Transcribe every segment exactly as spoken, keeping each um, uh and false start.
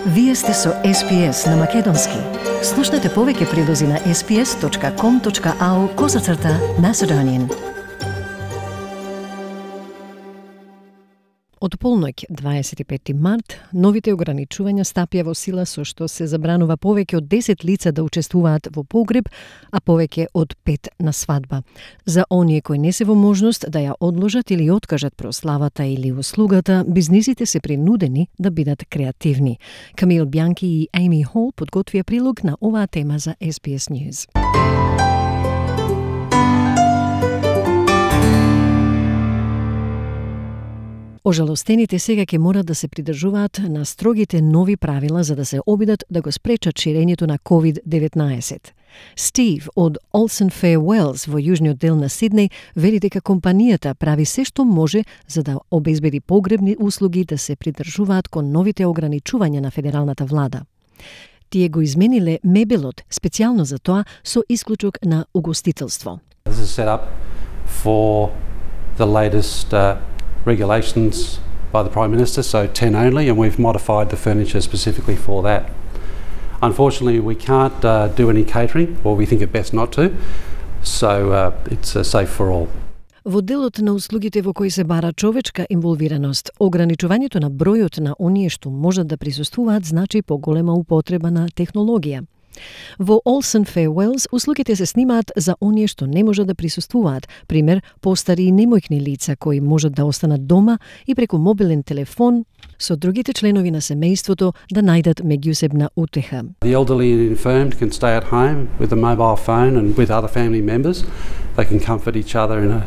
Вие сте со Ес Пи Ес на Македонски. Слушнете повеќе прилози на ес пи ес точка ком точка ау козацрта Macedonian. Од полноќ дваесет и петти март, новите ограничувања стапија во сила со што се забранува повеќе од десет лица да учествуваат во погреб, а повеќе од пет на свадба. За оние кои не се во можност да ја одложат или откажат прославата или услугата, бизнисите се принудени да бидат креативни. Камил Бјанки и Ейми Хол подготвија прилог на оваа тема за Ес Би Ес News. Ожалостените сега ќе морат да се придржуваат на строгите нови правила за да се обидат да го спречат ширењето на ковид деветнаесет. Стив од Олсен Фейервелс во јужниот дел на Сиднеј вели дека компанијата прави се што може за да обезбеди погребни услуги да се придржуваат кон новите ограничувања на федералната влада. Тие го измениле мебелот специјално за тоа со исклучок на угостителство. This is set up for the latest uh... regulations by the Prime Minister, so ten only, and we've modified the furniture specifically for that. Unfortunately, we can't uh, do any catering, or we think it best not to, so uh, it's uh, safe for all. Во делот на услугите во кои се бара човечка инволвираност, ограничувањето на бројот на оние што можат да присуствуваат значи поголема употреба на технологија. Во Олсен Фейервелс услугите се снимаат за оние што не можат да присуствуваат, пример постари и немојкни лица кои можат да останат дома и преку мобилен телефон со другите членови на семејството да најдат меѓусебна утеха. The elderly and infirmed can stay at home with a mobile phone and with other family members. They can comfort each other in a,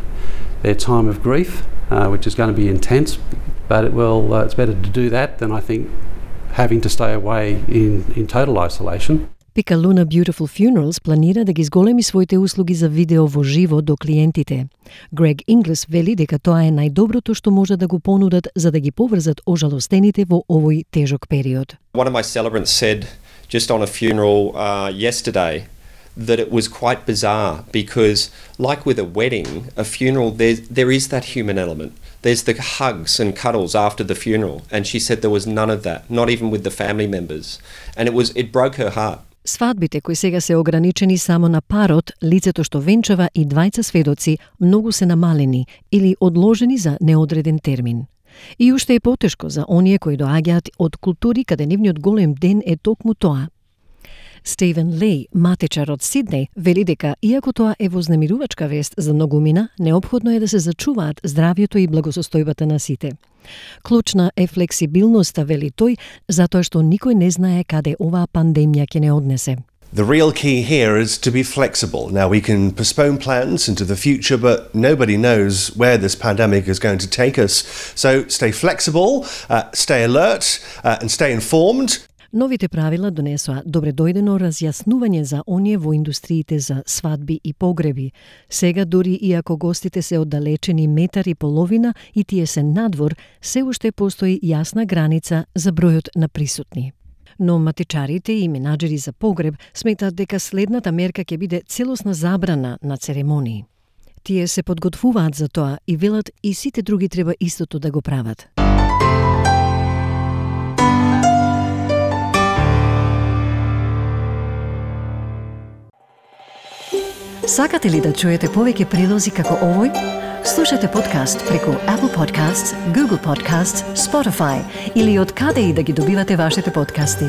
their time of grief, uh, which is going to be intense, but it will uh, it's better to do that than I think having to stay away in in total isolation. Picaluna Beautiful Funerals планира да ги зголеми своите услуги за видео во живо до клиентите. Грег Инглес вели дека тоа е најдоброто што може да го понудат за да ги поврзат ожалостените во овој тежок период. One of my celebrants said just on a funeral uh, yesterday that it was quite bizarre because, like with a wedding, a funeral, there there is that human element. There's the hugs and cuddles after the funeral, and she said there was none of that, not even with the family members, and it was it broke her heart. Свадбите кои сега се ограничени само на парот, лицето што венчава и двајца сведоци, многу се намалени или одложени за неодреден термин. И уште е потешко за оние кои доаѓаат од култури каде нивниот голем ден е токму тоа. Стивен Леј, матичар од Сиднеј, вели дека иако тоа е вознемирувачка вест за многумина, неопходно е да се зачуваат здравјето и благосостојбата на сите. Клучна е флексибилноста, вели тој, затоа што никој не знае каде оваа пандемија ќе не однесе. The real key here is to be flexible. Now, we can postpone plans into the future, but nobody knows where this pandemic is going to take us. So stay flexible, uh, stay alert, uh, and stay informed. Новите правила донесоа добредојдено разјаснување за оние во индустриите за свадби и погреби. Сега, дури иако гостите се оддалечени метар и половина и тие се надвор, се уште постои јасна граница за бројот на присутни. Но матичарите и менаџери за погреб сметаат дека следната мерка ќе биде целосна забрана на церемонии. Тие се подготвуваат за тоа и велат и сите други треба истото да го прават. Сакате ли да чуете повеќе прилози како овој? Слушате подкаст преку Apple Podcasts, Google Podcasts, Spotify или од каде и да ги добивате вашите подкасти.